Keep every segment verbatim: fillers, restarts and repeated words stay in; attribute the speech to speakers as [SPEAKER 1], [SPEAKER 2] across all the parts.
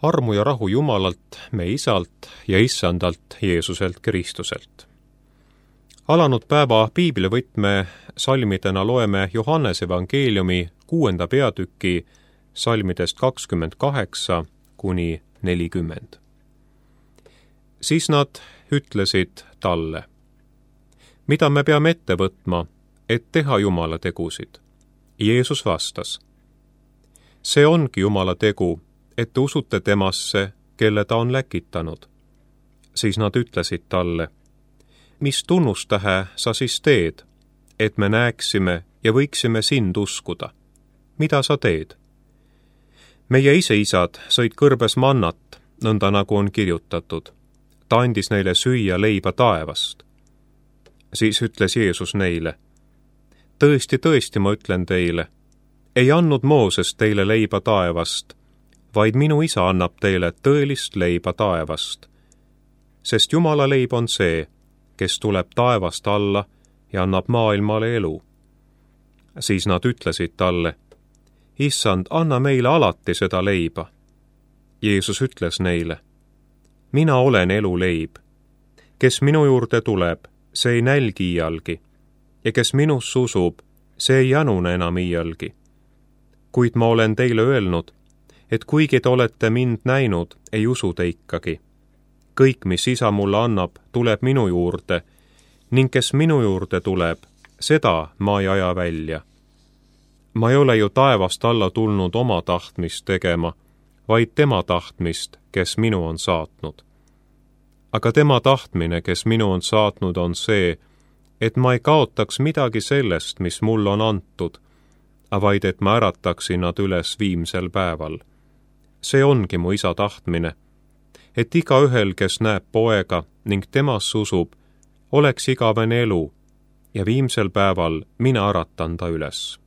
[SPEAKER 1] armu ja rahu Jumalalt, me Isalt ja Issandalt Jeesuselt Kristuselt. Alanud päeva piiblivõtme salmidena loeme Johannese evangeeliumi kuuenda peatüki salmidest kakskümmend kaheksa kuni nelikümmend. Siis nad ütlesid talle: mida me peame ette võtma, et teha Jumala tegusid? Jeesus vastas: see ongi Jumala tegu, et te usute temasse, kelle ta on läkitanud. Siis nad ütlesid talle: mis tunnustähe sa siis teed, et me näeksime ja võiksime sind uskuda? Mida sa teed? Meie ise isad sõid kõrbes mannat, nõnda nagu on kirjutatud. Ta andis neile süüa leiba taevast. Siis ütles Jeesus neile: tõesti, tõesti, ma ütlen teile, ei andnud Mooses teile leiba taevast, vaid minu isa annab teile tõelist leiba taevast. Sest Jumala leib on see, kes tuleb taevast alla ja annab maailmale elu. Siis nad ütlesid talle: issand, anna meile alati seda leiba. Jeesus ütles neile: mina olen elu leib. Kes minu juurde tuleb, see ei nälgi iialgi, ja kes minus usub, see ei janune enam iialgi. Kuid ma olen teile öelnud, et kuigi te olete mind näinud, ei usu te ikkagi. Kõik, mis isa mulle annab, tuleb minu juurde, ning kes minu juurde tuleb, seda ma ei aja välja. Ma ei ole ju taevast alla tulnud oma tahtmist tegema, vaid tema tahtmist, kes minu on saatnud. Aga tema tahtmine, kes minu on saatnud, on see, et ma ei kaotaks midagi sellest, mis mulle on antud, vaid et ma ärataksin nad üles viimsel päeval. See ongi mu isa tahtmine, et igaühel, kes näeb poega ning temas usub, oleks igavene elu ja viimsel päeval mina äratan ta üles.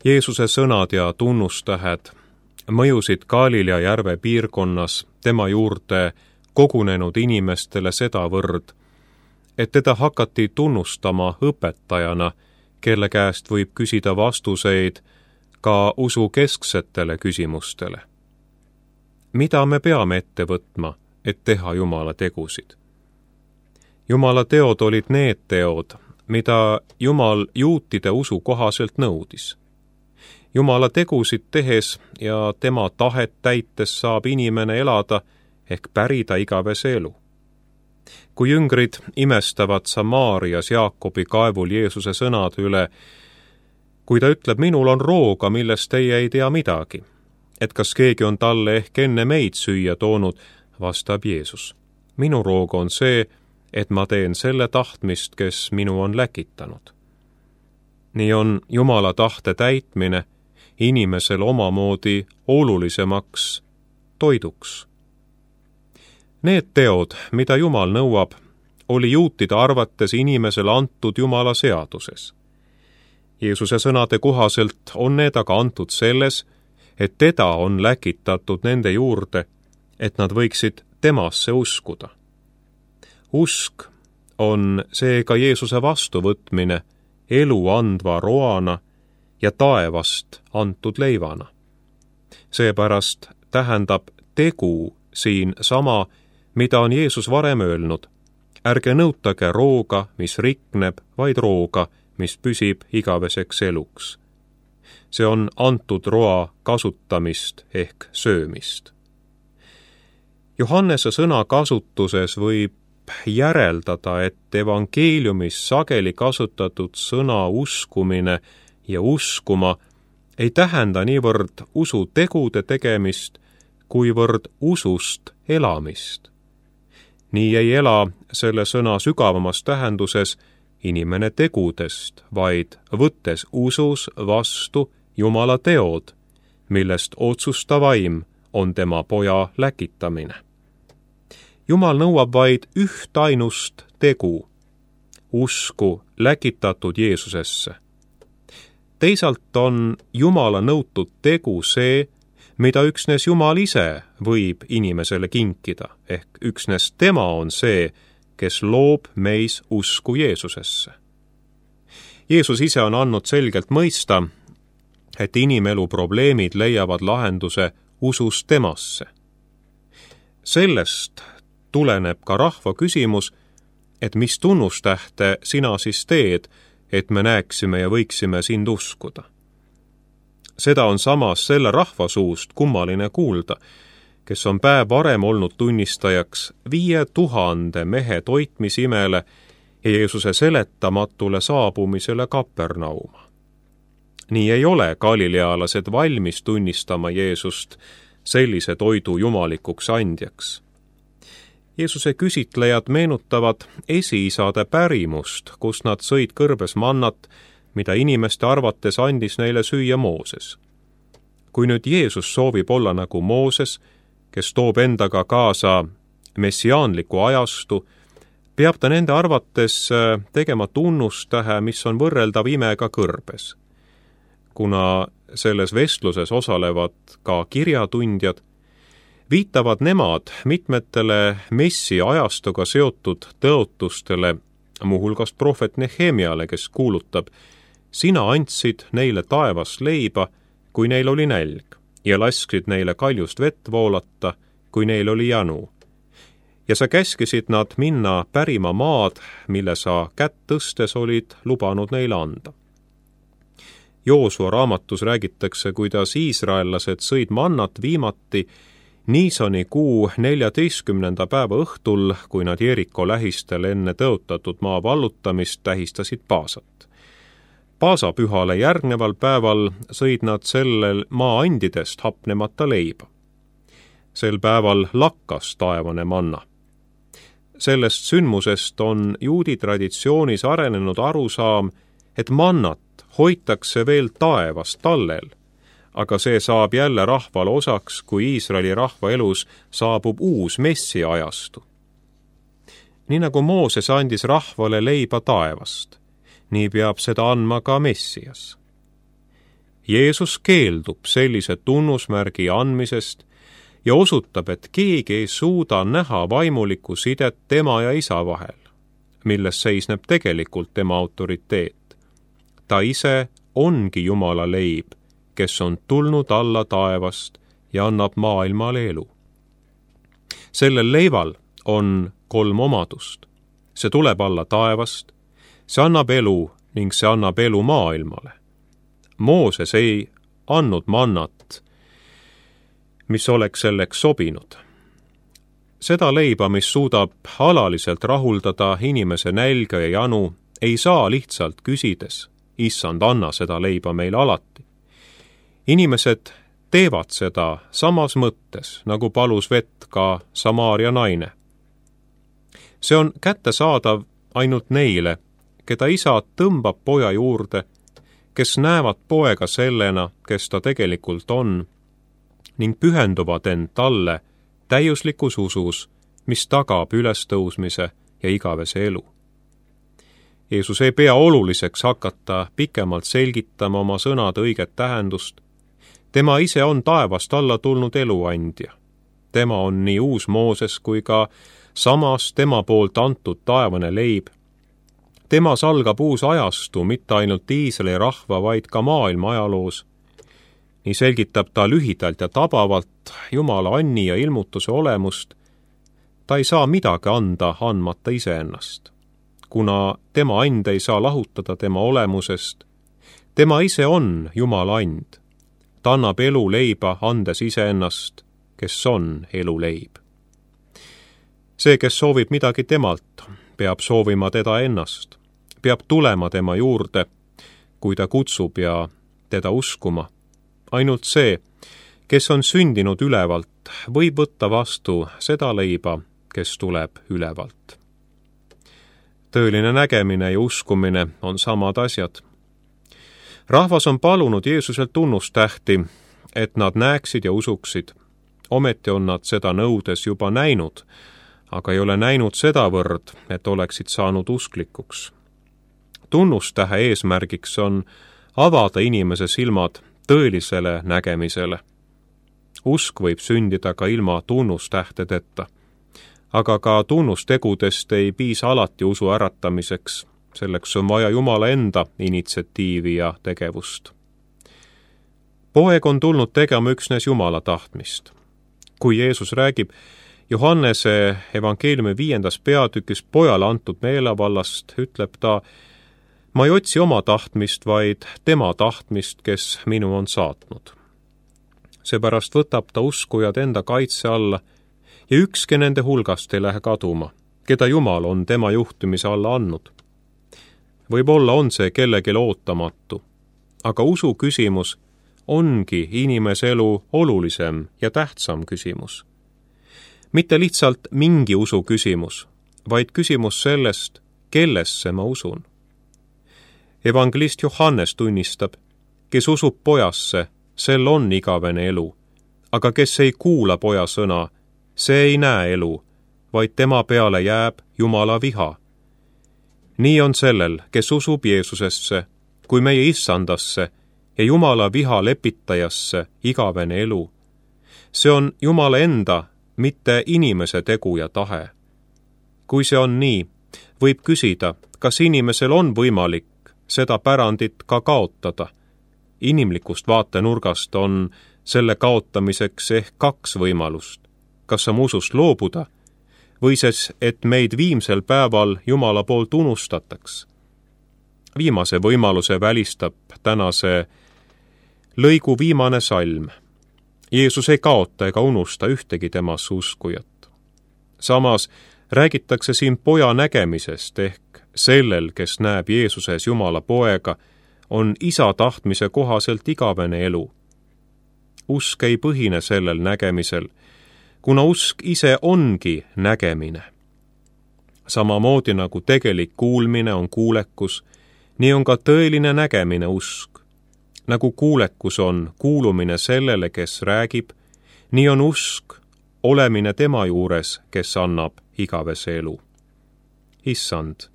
[SPEAKER 1] Jeesuse sõnad ja tunnustähed mõjusid Galilea järve piirkonnas tema juurde kogunenud inimestele sedavõrd, et teda hakati tunnustama õpetajana, kelle käest võib küsida vastuseid ka usu kesksetele küsimustele. Mida me peame ette võtma, et teha Jumala tegusid? Jumala teod olid need teod, mida Jumal juutide usu kohaselt nõudis. Jumala tegusid tehes ja tema tahet täites saab inimene elada ehk pärida igavese elu. Kui jüngrid imestavad Samaarias Jaakobi kaevul Jeesuse sõnad üle, kui ta ütleb, minul on rooga, millest teie ei tea midagi, et kas keegi on talle ehk enne meid süüa toonud, vastab Jeesus: minu roog on see, et ma teen selle tahtmist, kes minu on läkitanud. Nii on Jumala tahte täitmine inimesel omamoodi olulisemaks toiduks. Need teod, mida Jumal nõuab, oli juutide arvates inimesele antud Jumala seaduses. Jeesuse sõnade kohaselt on need aga antud selles, et teda on läkitatud nende juurde, et nad võiksid temasse uskuda. Usk on seega Jeesuse vastuvõtmine elu andva roana ja taevast antud leivana. Seepärast tähendab tegu siin sama, mida on Jeesus varem öelnud: ärge nõutage rooga, mis rikneb, vaid rooga, mis püsib igaveseks eluks. See on antud roa kasutamist ehk söömist. Johannese sõna kasutuses võib järeldada, et evangeeliumis sageli kasutatud sõna uskumine ja uskuma ei tähenda niivõrd usu tegude tegemist, kuivõrd usust elamist. Nii ei ela selle sõna sügavamas tähenduses inimene tegudest, vaid võttes usus vastu Jumala teod, millest otsustav vaim on tema poja läkitamine. Jumal nõuab vaid ühtainust tegu, usku läkitatud Jeesusesse. Teisalt on Jumala nõutud tegu see, mida üksnes Jumal ise võib inimesele kinkida, ehk üksnes tema on see, kes loob meis usku Jeesusesse. Jeesus ise on andnud selgelt mõista, et inimelu probleemid leiavad lahenduse usus temasse. Sellest tuleneb ka rahva küsimus, et mis tunnustähte sina siis teed, et me näeksime ja võiksime sind uskuda. Seda on samas selle rahva suust kummaline kuulda, kes on päev varem olnud tunnistajaks viie tuhande mehe toitmisimele ja Jeesuse seletamatule saabumisele Kapernauma. Nii ei ole galilealased valmis tunnistama Jeesust sellise toidu jumalikuks andjaks. Jeesuse küsitlejad meenutavad esiisade pärimust, kus nad sõid kõrbes mannat, mida inimeste arvates andis neile süüa Mooses. Kui nüüd Jeesus soovib olla nagu Mooses, kes toob endaga kaasa messiaanliku ajastu, peab ta nende arvates tegema tunnustähe, mis on võrreldav imega kõrbes. Kuna selles vestluses osalevad ka kirjatundjad, viitavad nemad mitmetele messi ajastuga seotud tõotustele, muuhulgas prohvet Nehemiale, kes kuulutab: sina andsid neile taevast leiba, kui neil oli nälg, ja lasksid neile kaljust vett voolata, kui neil oli janu. Ja sa käskisid nad minna pärima maad, mille sa kätt tõstes olid lubanud neile anda. Joosua raamatus räägitakse, kuidas iisraellased sõid mannat viimati Niisani kuu neljateistkümnenda päeva õhtul, kui nad Jeriko lähistel enne tõotatud maa vallutamist tähistasid Paasat. Paasapühale järgneval päeval sõid nad sellel maa andidest hapnemata leiba. Sel päeval lakkas taevane manna. Sellest sündmusest on juudi traditsioonis arenenud arusaam, et mannat hoitakse veel taevas tallel, aga see saab jälle rahval osaks, kui Iisraeli rahva elus saabub uus messi ajastu. Nii nagu Mooses andis rahvale leiba taevast, nii peab seda andma ka Messias. Jeesus keeldub sellise tunnusmärgi andmisest ja osutab, et keegi ei suuda näha vaimulikku sidet tema ja isa vahel, milles seisneb tegelikult tema autoriteet. Ta ise ongi Jumala leib, kes on tulnud alla taevast ja annab maailmale elu. Sellel leival on kolm omadust. See tuleb alla taevast, see annab elu ning see annab elu maailmale. Mooses ei andnud mannat, mis oleks selleks sobinud. Seda leiba, mis suudab alaliselt rahuldada inimese nälga ja janu, ei saa lihtsalt küsides: issand, anna seda leiba meile alati. Inimesed teevad seda samas mõttes, nagu palus vett ka Samaaria naine. See on kättesaadav ainult neile, keda isa tõmbab poja juurde, kes näevad poega sellena, kes ta tegelikult on, ning pühenduvad end talle täiuslikus usus, mis tagab ülestõusmise ja igavese elu. Jeesus ei pea oluliseks hakata pikemalt selgitama oma sõnade õiget tähendust. Tema ise on taevast alla tulnud eluandja. Tema on nii uus Mooses kui ka samas tema poolt antud taevane leib. Temas algab uus ajastu mitte ainult Iisraeli rahva, vaid ka maailma ajaloos. Nii selgitab ta lühidalt ja tabavalt Jumala anni ja ilmutuse olemust. Ta ei saa midagi anda andmata iseennast, kuna tema and ei saa lahutada tema olemusest. Tema ise on Jumala and. Ta annab elu leiba, andes iseennast, kes on elu leib. See, kes soovib midagi temalt, peab soovima teda ennast, peab tulema tema juurde, kui ta kutsub ja teda uskuma. Ainult see, kes on sündinud ülevalt, võib võtta vastu seda leiba, kes tuleb ülevalt. Tõeline nägemine ja uskumine on samad asjad. Rahvas on palunud Jeesuselt tunnustähti, et nad näeksid ja usuksid. Ometi on nad seda nõudes juba näinud, aga ei ole näinud sedavõrd, et oleksid saanud usklikuks. Tunnustähe eesmärgiks on avada inimese silmad tõelisele nägemisele. Usk võib sündida ka ilma tunnustähtedeta, aga ka tunnustegudest ei piisa alati usu äratamiseks. Selleks on vaja Jumala enda initsiatiivi ja tegevust. Poeg on tulnud tegema üksnes Jumala tahtmist. Kui Jeesus räägib Johannese evangeeliumi viiendas peatükis pojale antud meelevallast, ütleb ta, ma ei otsi oma tahtmist, vaid tema tahtmist, kes minu on saatnud. Seepärast võtab ta uskujad enda kaitse alla ja ükski nende hulgast ei lähe kaduma, keda Jumal on tema juhtimise alla andnud. Võib-olla on see kellelegi ootamatu, aga usu küsimus ongi inimese elu olulisem ja tähtsam küsimus. Mitte lihtsalt mingi usu küsimus, vaid küsimus sellest, kellesse ma usun. Evangelist Johannes tunnistab, kes usub pojasse, sel on igavene elu, aga kes ei kuula poja sõna, see ei näe elu, vaid tema peale jääb Jumala viha. Nii on sellel, kes usub Jeesusesse, kui meie issandasse ja Jumala viha lepitajasse igavene elu. See on Jumala enda, mitte inimese tegu ja tahe. Kui see on nii, võib küsida, kas inimesel on võimalik seda pärandit ka kaotada. Inimlikust vaatenurgast on selle kaotamiseks ehk kaks võimalust. Kas oma usust loobuda või siis, et meid viimsel päeval Jumala poolt unustataks. Viimase võimaluse välistab tänase lõigu viimane salm. Jeesus ei kaota ega unusta ühtegi temasse uskujat. Samas räägitakse siin poja nägemisest ehk sellel, kes näeb Jeesuses Jumala poega, on isa tahtmise kohaselt igavene elu. Usk ei põhine sellel nägemisel, kuna usk ise ongi nägemine. Samamoodi nagu tegelik kuulmine on kuulekus, nii on ka tõeline nägemine usk. Nagu kuulekus on kuulumine sellele, kes räägib, nii on usk olemine tema juures, kes annab igavese elu. Issand,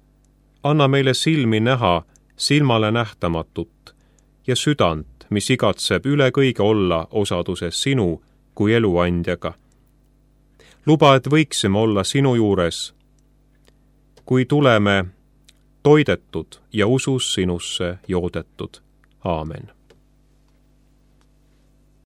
[SPEAKER 1] anna meile silmi näha silmale nähtamatut ja südant, mis igatseb üle kõige olla osaduses sinu kui eluandjaga. Luba, et võiksime olla sinu juures, kui tuleme toidetud ja usus sinusse joodetud. Aamen.